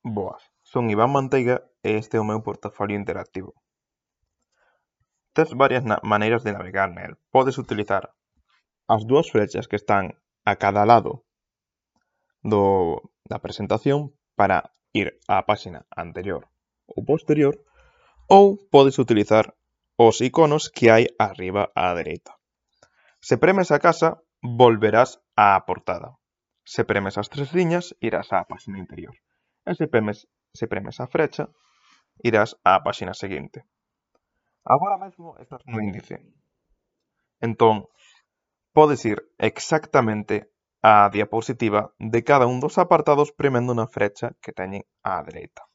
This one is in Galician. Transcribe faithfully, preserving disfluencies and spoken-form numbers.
Boas, son Iván Manteiga e este é o meu portafolio interactivo. Tes varias maneiras de navegar nel. Podes utilizar as dúas flechas que están a cada lado do, da presentación para ir á páxina anterior ou posterior, ou podes utilizar os iconos que hai arriba á dereita. Se premes a casa, volverás á portada. Se premes as tres liñas, irás á páxina interior. E se premes, se premes a frecha, irás á páxina seguinte. Agora mesmo estás no índice. Entón, podes ir exactamente á diapositiva de cada un dos apartados premendo na frecha que teñen á dereita.